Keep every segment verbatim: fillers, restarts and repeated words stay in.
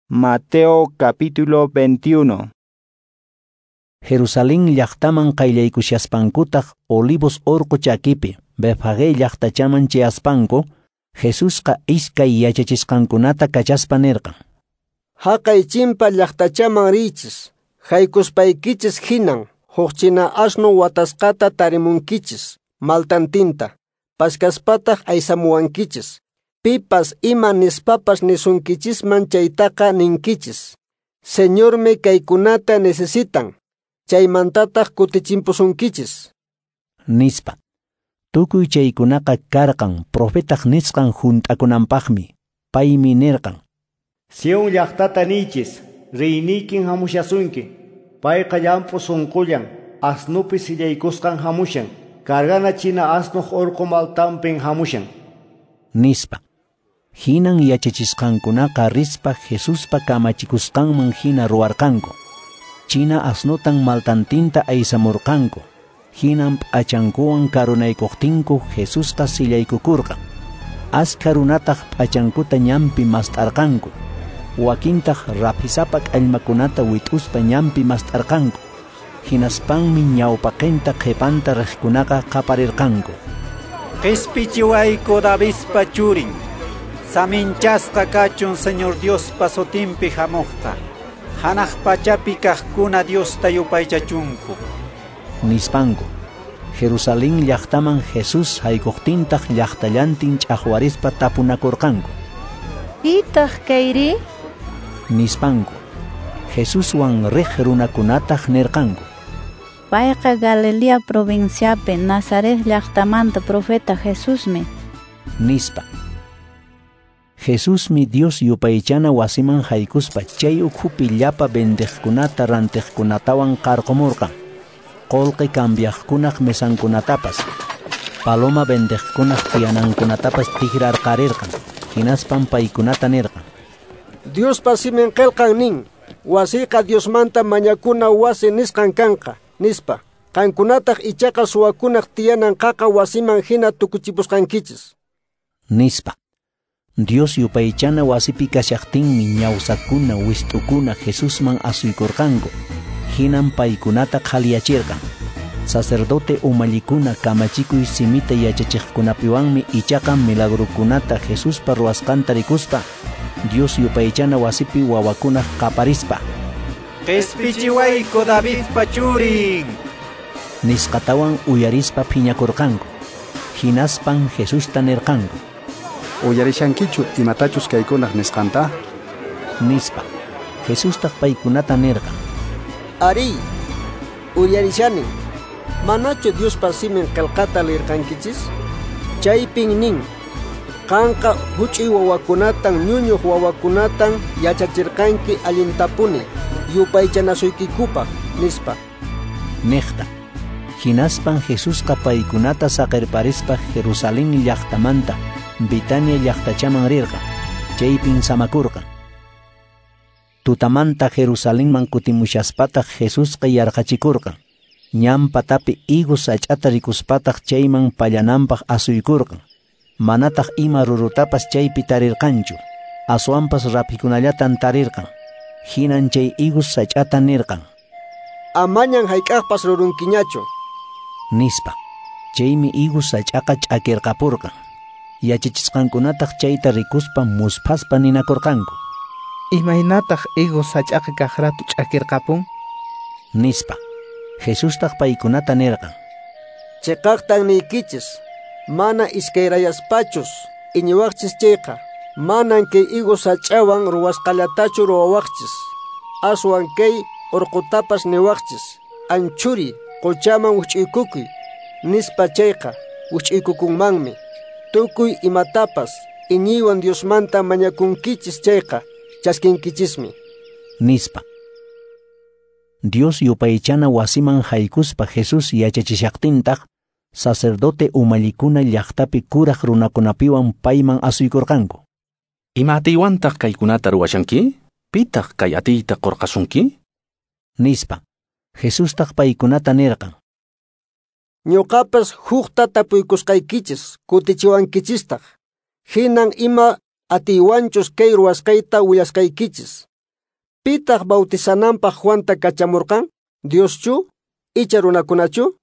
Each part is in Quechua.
Mateo capítulo veintiuno. Jerusalén llaqtaman qayllaykushaspankutaq Olivos orqo chakipi Betfagé llaqtachaman chayaspanku, Jesusqa iskay yachachisqankunata kachaspa nirqan: Haqay chimpa llaqtachaman riychis, haykuspaykichis hinan huk china asno watasqata tarimunkichis, maltantinta, paskaspataq aysamuwankichis. Pipas ima nispapas nisunkichisman chaytaqa ninkichis: Señormi kaykunata necesitan, chaymantataq kutichimpusunkichis, nispa. Tukuy chaykunaqa karqan profetaq nisqan hunt'akunanpaqmi. Paymi nirqan: Sion llaqtata niychis, reyniykin hamushasunki, payqa llamp'u sunqullan, asnupi sillaykusqan hamushan, cargana china asnuq urqu maltanpin hamushan, nispa. Hinan yachachisqankunaqa rispa Jesuspa kamachikusqanman hina ruwarqanku. China asnutan maltantinta aysamurqanku. Hinan p'achankuwan karunaykuqtinku Jesusqa sillaykukurqan. Askha runataq p'achankuta ñanpi mast'arqanku. Wakintaq raphisapa k'allmakunata wit'uspa ñanpi mast'arqanku. Hinaspanmi ñawpaqinta qhipanta riqkunaqa qaparirqanku: Qispichiwayku Davidpa churin, saminchasqa kachun Señor Diospa sutinpi hamuqqa, hanaq pachapi kaqkuna Diosta yupaychachunku, nispanku. Jerusalén llaqtaman Jesús haykuqtintaq llaqtallantin ch'aqwarispa tapunakurqanku: Pitaq kayri? Nispanku. Jesuswan riq runakunataq nirqanku: Payqa Galilea provinciapi Nazaret llaqtamanta profeta Jesusmi, nispa. Jesusmi Dios yupaychana wasiman haykuspa chay ukhupi llapa vendeqkunata rantiqkunatawan qarqumurqan. Qolqe cambiaqkunaq mesankunatapas, paloma vendeqkunaq tiyanankunatapas tikrarqarirqan. Hinaspan paykunata nirqan: Diospa simin qillqan nin, wasiyqa Diosmanta mañakuna wasi nisqan kanqa, nispa. Qankunataq ichaqa suwakunaq tiyanan qaqa wasiman hina tukuchipusqankichis, nispa. Dios yupaychana wasipi kashaqtinmi ñawsakuna wist'ukuna Jesusman asuykurqanku. Hinan paykunata qhaliyachirqan. Sacerdote umallikuna kamachikuy simita yachachiqkunapiwanmi ichaqa milagrukunata Jesuspa ruwasqanta rikuspa Dios yupaychana wasipi wawakunaq qaparispa: Qispichiwayku Davidpa churin, nisqatawan uyarispa phiñakurqanku. Hinaspan Jesusta nirqanku: Uyarishankichu imatachus kaykunaq nisqanta? Nispa. Jesustaq paykunata nirqan: Ari, uyarishani. Manachu Diospa simin qillqata lirqankichis? Chaypin nin: Qanqa huch'uy wawakunatan ñuñuq wawakunatan yachachirqanki allintapuni yupaychanasuykikupaq, nispa. Niqta. Hinaspan Jesusqa paykunata saqirparispa Jerusalén llaqtamanta Betania llaqtachaman rirqan. Chaypin samakurqan. Tutamanta Jerusalenman kutimushaspataq Jesusqa yarqachikurqan. Ñan patapi higos sach'ata rikuspataq chayman pallananpaq asuykurqan. Manataq ima rurutapas chaypi tarirqanchu. Aswanpas raphikunallatan tarirqan. Hinan chay higos sach'ata nirqan: Amañan hayk'aqpas rurunkiñachu, nispa. Chaymi higos sach'aqa ch'akirqapurqan. Yachachisqankunataq chayta rikuspa musphaspa ninakurqanku: Imaynataq higos sach'aqa kaqratu ch'akirqapun? Nispa. Jesustaq paykunata nirqan: Chiqaqtan niykichis, mana iskayrayaspachus iñiwaqchis chayqa, manan kay higos sach'awan ruwasqallatachu ruwawaqchis, aswan kay urqutapas niwaqchis: Anchuri, quchaman wich'uykukuy, nispa chayqa wich'uykukunmanmi. Tukuy imatapas iñiywan Diosmanta mañakunkichis chayqa chaskinkichismi, nispa. Dios yupaychana wasiman haykuspa Jesús yachachishaqtintaq, sacerdote umallikuna llaqtapi kuraq runakunapiwan payman asuykurqanku. Ima atiywantaq kaykunata ruwashanki? Pitaq kay atiyta qurqasunki? Nispa. Jesustaq paykunata nirqan: Ñuqapas hukta tapuykusqaykichis, kutichiwankichistaq. Hinan ima atiywanchus kay ruwasqayta willasqaykichis. Pitaq bautizananpaq Juanta kachamurqan? Dioschu icha runakunachu?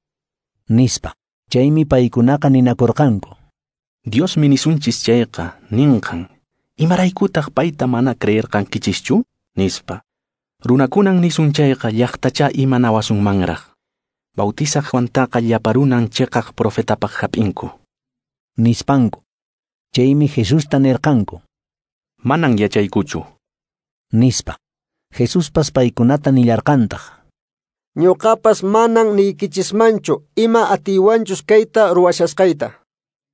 Nispa. Chaymi paykunaqa ninakurqanku. Diosmi nisunchis chayqa ninqan. Imaraykutaq payta mana creerqankichischu? Nispa. Runakunan nisun chayqa llaqtacha imanawasunmanraq. Bautizaq Juantaqa llapa runan chiqaq profetapaq hap'inku. Nispanku. Chaymi Jesusta nirqanku. Manan yachaykuchu. Nispa. Jesuspas paykunata nillarqantaq. Ñuqapas manan niykichismanchu ima atiywanchus kayta ruwashasqayta.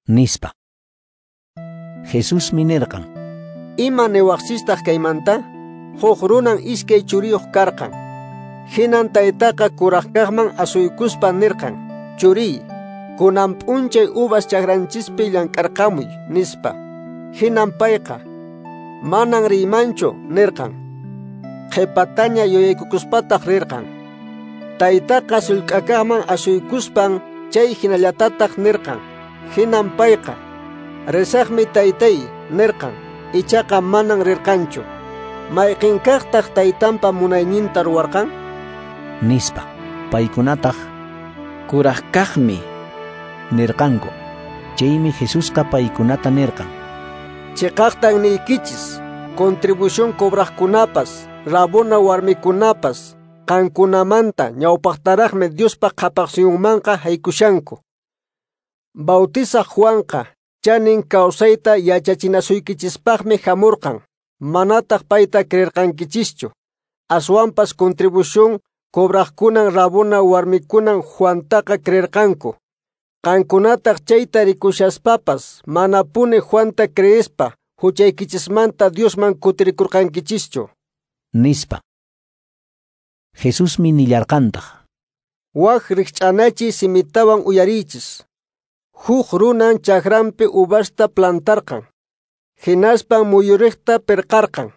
Nispa. Jesusmi nirqan. Ima niwaqchistaq kaymanta? Huk runan iskay churiyuq karqan. Hinan taytaqa kuraqkaqman asuykuspa nirqan, churiy, kunan p'unchay uvas chakranchispi llank'arqamuy, nispa. Hinan payqa, manan riymanchu, nirqan. Qhipataña yuyaykukuspataq rirqan. Taytaqa sullk'akaqman asuykuspan chay hinallatataq nirqan. Hinan payqa, risaqmi taytay, nirqan. Ichaqa manan rirqanchu. Mayqinkaqtaq taytanpa munayninta ruwarqan? Nispa. Paykunataq kuraqkaqmi nirqanku. Chaymi Jesusqa paykunata nirqan. Chiqaqtan niykichis, contribución cobraqkunapas, rabona warmikunapas, qankunamanta ñawpaqtaraqmi Diospa qhapaqsuyunmanqa haykushanku. Bautizaq Juanqa chanin kawsayta yachachinasuykichispaqmi hamurqan, manataq payta creerqankichischu. Aswanpas contribución cobraqkunan rabona warmikunan Juantaqa creerqanku. Qankunataq chayta rikushaspapas manapuni Juanta creespa huchaykichismanta Diosman kutirikurqankichischu. Nispa. Jesusmi nillarqantaq. Wak rikch'anachiy simitawan uyariychis. Huk runan chakranpi uvasta plantarqan. Hinaspan muyuriqta pirqarqan.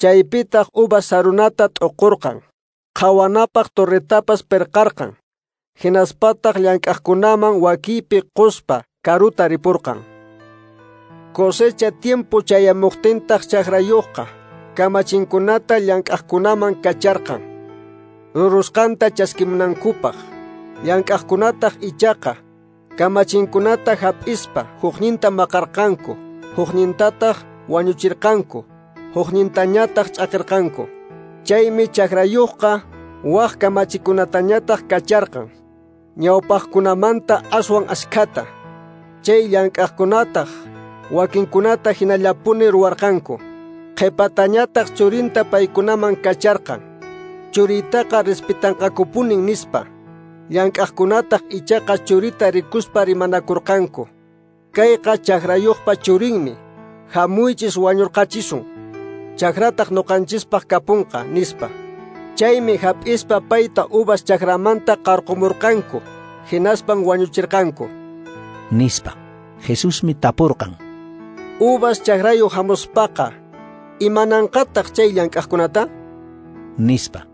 Chaypitaq uvas sarunata t'uqurqan. Qhawanapaq torretapas pirqarqan. Hinaspataq llank'aqkunaman wakipi quspa karuta ripurqan. Cosecha tiempo chayamuqtintaq chakrayuqqa kamachinkunata llank'aqkunaman kacharqan. Rurusqanta chaskimunankupaq. Llank'aqkunataq ichaqa kamachinkunata hap'ispa hukninta maqarqanku, huknintataq wañuchirqanku, huknintañataq ch'aqirqanku. Chaymi chakrayuqqa wak kamachikunatañataq kacharqan, ñawpaqkunamanta aswan askhata. Chay llank'aqkunataq wakinkunata hinallapuni ruwarqanku. Qhipatañataq churinta paykunaman kacharqan. Churitaqa respetanqakupunin nispa. Llank'aqkunataq ichaqa churita rikuspa rimanakurqanku. Kayqa chakrayuqpa churinmi, hamuychis wañurqachisun. Chakrataq ñuqanchispaq kapunqa, nispa. Chaymi hap'ispa payta uvas chakramanta qarqumurqanku, hinaspan wañuchirqanku. Nispa. Jesusmi tapurqan. Uvas chakrayuq hamuspaqa, imananqataq chay llank'aqkunata? Nispa.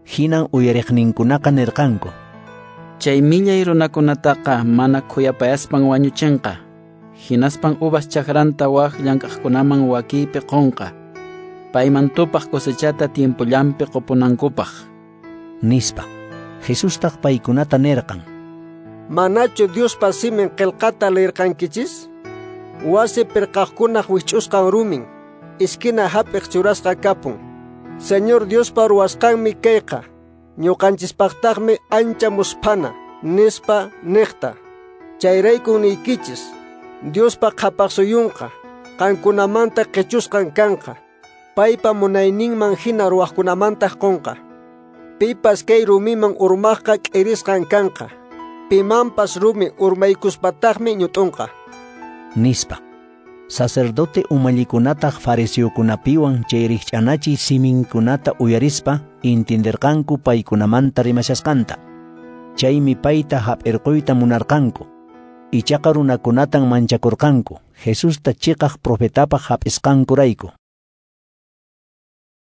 Hinan uyariqninkunaqa nirqanku. Chay millay runakunataqa mana khuyapayaspan wañuchinqa. Hinaspan uvas chakranta wak llank'aqkunaman wakiypi qunqa. Payman tupaq cosechata tiempollanpi qupunankupaq. Nispa. Jesustaq paykunata nirqan. Manachu Diospa simin qillqata leerqankichis? Wasi pirqaqkunaq wich'usqan rumin, esquina hap'iq churasqa kapun. Señor Diospa ruwasqanmi kayqa, ñuqanchispaqtaqmi ancha musphana, nispa niqta. Chayraykun niykichis, Diospa qhapaqsuyunqa, qankunamanta qichusqan kanqa. Paypa munayninman hina ruwaqkunamantaq qunqa. Pipas kay rumiman urmaqqa k'irisqan kanqa. Pimanpas rumi urmaykuspataqmi ñut'unqa. Nispa. Sacerdote umallikunataq fariseokunapiwan chay rikch'anachiy siminkunata uyarispa intindirqanku paykunamanta rimashasqanta. Chaymi payta hap'irquyta munarqanku. Ichaqa runakunatan manchakurqanku Jesusta chiqaq profetapaq hap'isqankurayku.